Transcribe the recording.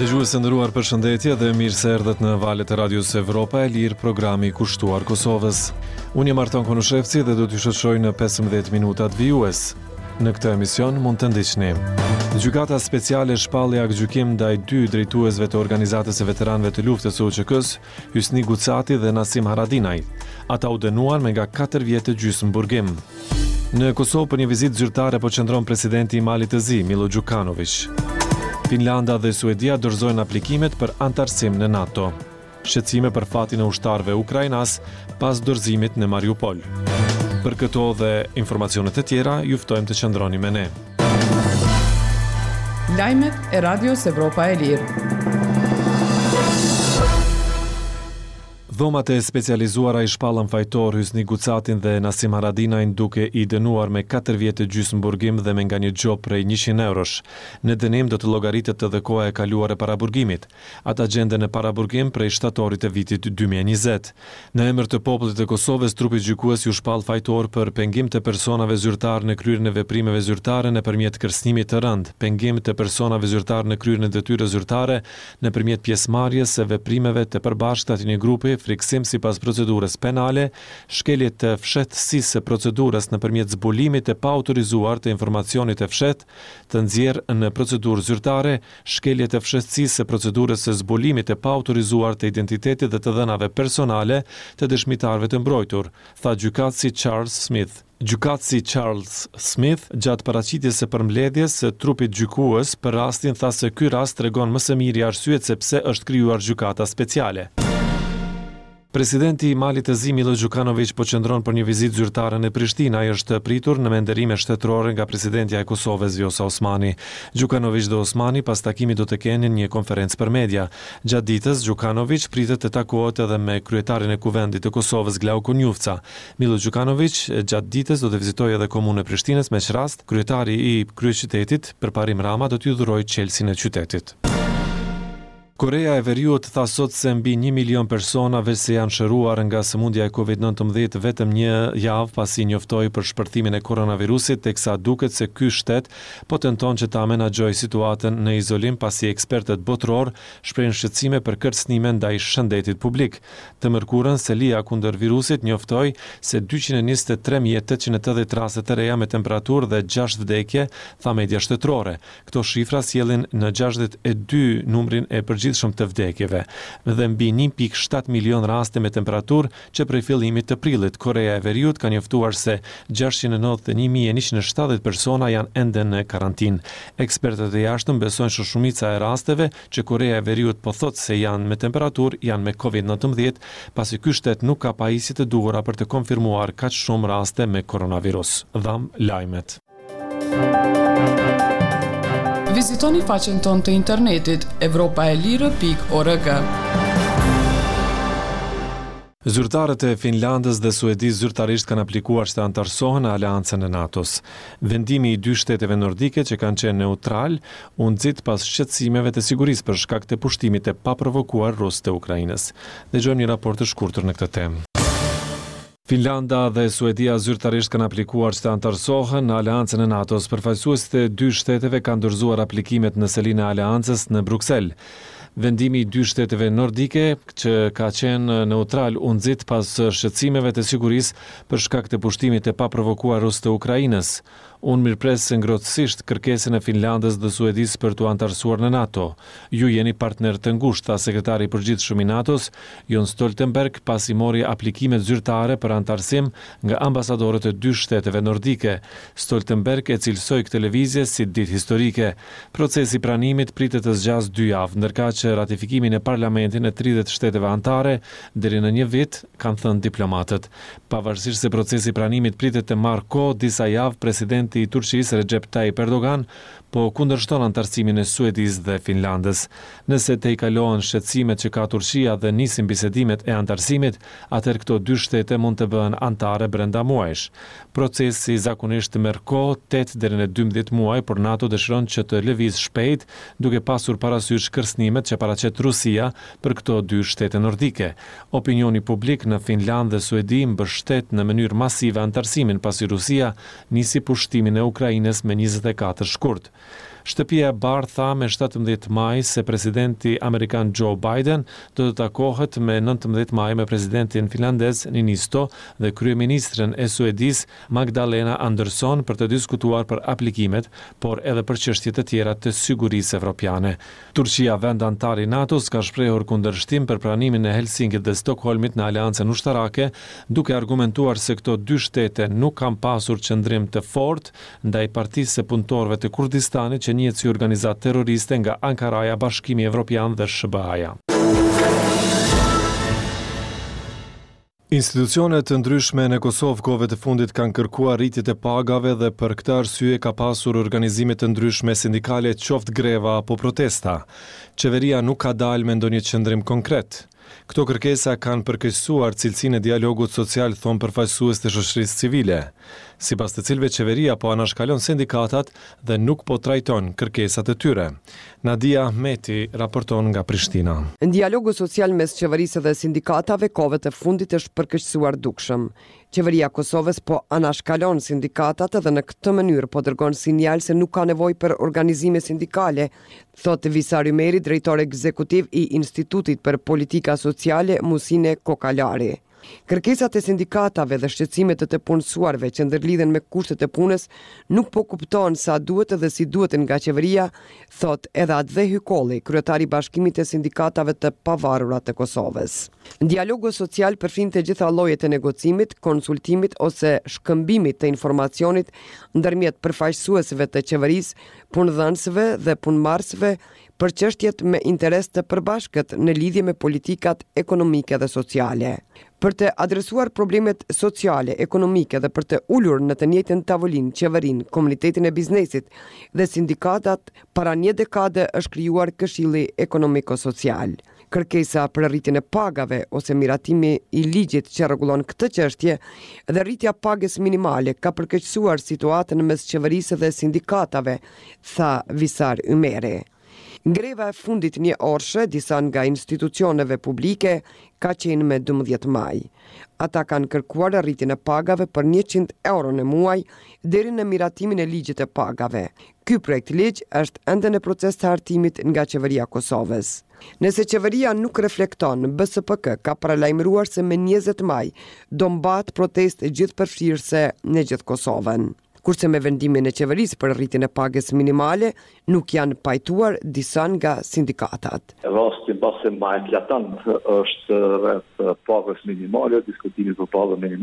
Dëgjues të nderuar përshëndetje dhe mirë se erdhët në valët e Radios Evropa e Lirë, programi kushtuar Kosovës. Unë jam Arton Konushevci dhe do t'ju shoqëroj në 15 minutat vijues. Në këtë emision mund të ndiqni. Gjykata Speciale shpalli aktgjykim ndaj dy drejtuesve të Organizatës së Veteranëve të Luftës së UÇK-së, Hysni Gucati dhe Nasim Haradinaj. Ata u dënuan me nga 4 vjet e gjysmë burgim. Në Kosovë për një vizitë zyrtare po qëndron presidenti i Malit të Zi, Milo Gjukanoviq. Finlanda dhe Suedia dorëzojnë aplikimet për anëtarësim në NATO. Shqetësime për fatin e ushtarëve ukrainas pas dorëzimit në Mariupol. Për këto dhe informacione të tjera, ju ftojmë të qëndroni me ne. Lajmet e Radios Evropa e Lirë. Dhomat e Specializuara i shpallën fajtor Hysni Gucatin dhe Nasim Haradinajn duke i dënuar me katër vjet e gjysmë burgim dhe me nga një gjobë prej 100 eurosh. Në dënim do të llogaritet edhe koha e kaluar e paraburgimit. Ata gjenden në paraburgim prej shtatorit të vitit 2020. Në emër të popullit të Kosovës, trupi gjykues ju shpall fajtor për pengim të personave zyrtarë në kryerjen e veprimeve zyrtare nëpërmjet kërcënimit të rëndë, pengim të personave zyrtarë në kryerjen e detyrës zyrtare nëpërmjet pjesëmarrjes së veprimeve të përbashkëta të një grupi, frikësim sipas procedurës penale, shkelje të fshehtësisë së procedurës nëpërmjet zbulimit të paautorizuar të informacionit të fshehtë të nxjerrë në procedurë zyrtare, shkelje të fshehtësisë së procedurës së zbulimit të paautorizuar të identitetit dhe të dhënave personale të dëshmitarëve të mbrojtur, tha gjykatësi Charles Smith. Gjykatësi Charles Smith gjatë paraqitjes së përmbledhjes së trupit gjykues për rastin tha se ky rast tregon më së miri arsyet se pse është krijuar Gjykata Speciale. Presidenti i Malit të Zi, Milo Gjukanoviq po qëndron për një vizitë zyrtare në Prishtinë. Ai është pritur në me nderime shtetërore nga presidentja e Kosovës, Vjosa Osmani. Gjukanoviq dhe Osmani pas takimit do të kenë një konferencë për media. Gjatë ditës, Gjukanoviq pritet të takohet edhe me kryetarin e Kuvendit të Kosovës, Glauk Konjufca. Milo Gjukanoviq gjatë ditës do të vizitojë edhe Komunën e Prishtinës, me ç'rast kryetari i kryeqytetit, Përparim Rama do t'i dhurojë çelësin e qytetit. Koreja e Veriut tha sot se mbi një milion persona veçse janë shëruar nga sëmundja e Covid 19 vetëm një javë pasi njoftoi për shpërthimin e koronavirusit, teksa duket se ky shtet po tenton që ta menaxhojë situatën në izolim pasi ekspertët botërorë shprehin shqetësime për kërcënime ndaj shëndetit publik. Të mërkurën, selia kundër virusit njoftoi se 223.880 raste të reja me temperaturë dhe 6 vdekje, tha media shtetërore. Këto shifra sjellin në 62 numrin e përgjithshëm të vdekjeve dhe mbi 1.7 milion raste me temperaturë që prej fillimit të prillit. Koreja e Veriut ka njoftuar se 691.170 persona janë ende në karantinë. Ekspertët e jashtëm besojnë se shumica e rasteve që Koreja e Veriut po thotë se janë me temperaturë janë me COVID-19, pasi ky shtet nuk ka pajisje të duhura për të konfirmuar kaq shumë raste me koronavirus. Dhamë lajmet. Vizitoni faqen tonë të internetit evropaelire.org. Zyrtarët e Finlandës dhe Suedisë zyrtarisht kanë aplikuar që të anëtarësohen në aleancën e NATO-s. Vendimi i dy shteteve nordike që kanë qenë neutral u nxit pas shqetësimeve të sigurisë për shkak të pushtimit të paprovokuar rus të Ukrainës. Dëgjojmë një raport të shkurtër në këtë temë. Finlanda dhe Suedia zyrtarisht kanë aplikuar që të anëtarësohen në aleancën e NATO-s. Përfaqësuesit e dy shteteve kanë dorëzuar aplikimet në selinë e aleancës në Bruksel. Vendimi i dy shteteve nordike që ka qenë neutral u nxit pas shqetësimeve të sigurisë për shkak të pushtimit të paprovokuar rus të Ukrainës. Unë mirëpres ngrohtësisht kërkesën e Finlandës dhe Suedisë për t'u anëtarësuar në NATO. Ju jeni partnerë të ngushtë, tha sekretari i përgjithshëm i NATO-s, Jens Stoltenberg, pasi mori aplikimet zyrtare për anëtarësim nga ambasadorët e dy shteteve nordike. Stoltenberg e cilësoi këtë lëvizje si ditë historike. Procesi i pranimit pritet të zgjasë dy javë, ndërkaq ratifikimi në parlamentin e 30 shteteve anëtare deri në një vit, kanë thënë diplomatët. Pavarësisht se procesi i pranimit pritet të marrë kohë disa javë, presidenti i Turqisë, Recep Tayyip Erdogan, po kundërshton anëtarësimin e Suedisë dhe Finlandës. Nëse tejkalohen shqetësimet që ka Turqia dhe nisin bisedimet e anëtarësimit, atëherë këto dy shtete mund të bëhen anëtare brenda muajsh. Procesi zakonisht merr kohë 8 deri në 12 muaj, por NATO dëshiron që të lëvizë shpejt, duke pasur parasysh kërcënimet që paraqet Rusia për këto dy shtete nordike. Opinioni publik në Finlandë dhe Suedi mbështet në mënyrë masive anëtarësimin pasi Rusia nisi pushtimin e Ukrainës me 24 shkurt. Shtëpia e Bardhë tha me 17 maj se presidenti amerikan Joe Biden do të takohet me 19 maj me presidentin finlandez Niinisto dhe kryeministren e Suedisë Magdalena Andersson për të diskutuar për aplikimet, por edhe për çështje të tjera të sigurisë evropiane. Turqia, vend anëtar i NATO-s, ka shprehur kundërshtim për pranimin e Helsinkit dhe Stokholmit në aleancën ushtarake, duke argumentuar se këto dy shtete nuk kanë pasur qëndrim të fortë ndaj Partisë së Punëtorëve të Kurdistanit që njihet si organizatë terroriste nga Ankaraja, Bashkimi Evropian dhe SHBA-ja. Institucione të ndryshme në Kosovë kohëve të fundit kanë kërkuar rritje të pagave dhe për këtë arsye ka pasur organizime të ndryshme sindikale qoftë greva apo protesta. Qeveria nuk ka dalë me ndonjë qëndrim konkret. Këto kërkesa kanë përkeqësuar cilësinë e dialogut social thonë përfaqësues të shoqërisë civile, sipas të cilëve qeveria po anashkalon sindikatat dhe nuk po trajton kërkesat e tyre. Nadia Ahmeti raporton nga Prishtina. Dialogu social mes qeverisë dhe sindikatave kohëve të fundit është përkeqësuar dukshëm. Qeveria e Kosovës po anashkalon sindikatat dhe në këtë mënyrë po dërgon sinjal se nuk ka nevojë për organizime sindikale, thotë Visar Ymeri, drejtor ekzekutiv i Institutit për Politika Sociale Musine Kokalari. Kërkesat e sindikatave dhe shqetësimet e të punësuarve që ndërlidhen me kushtet e punës nuk po kuptohen sa duhet dhe si duhet nga qeveria, thotë edhe Atdhe Hykolli, kryetar i Bashkimit të Sindikatave të Pavarura të Kosovës. Dialogu social përfshin të gjitha llojet e negocimit, konsultimit ose shkëmbimit të informacionit ndërmjet përfaqësuesve të qeverisë, punëdhënësve dhe punëmarrësve për çështjet me interes të përbashkët në lidhje me politikat ekonomike dhe sociale. Për të adresuar problemet sociale, ekonomike dhe për të ulur në të njëjtën tavolinë qeverinë, komunitetin e biznesit dhe sindikatat, para një dekade është krijuar Këshilli Ekonomiko-Social. Kërkesa për rritjen e pagave ose miratimi i ligjit që rregullon këtë çështje dhe rritja e pagës minimale ka përkeqësuar situatën mes qeverisë dhe sindikatave, tha Visar Ymeri. Greva e fundit njëorëshe disa nga institucioneve publike ka qenë me 12 maj. Ata kanë kërkuar rritjen e pagave për 100 euro në muaj deri në miratimin e ligjit të pagave. Ky projektligj është ende në proces të hartimit nga Qeveria e Kosovës. Nëse qeveria nuk reflekton, BSPK ka paralajmëruar se me 20 maj do mbahet protestë gjithëpërfshirëse në gjithë Kosovën. Kurse me vendimin e qeverisë për rritjen e pagës minimale nuk janë pajtuar disa nga sindikatat. Rasti mbase ma eklatant është rreth pagës minimale, diskutimi për pagën minimale.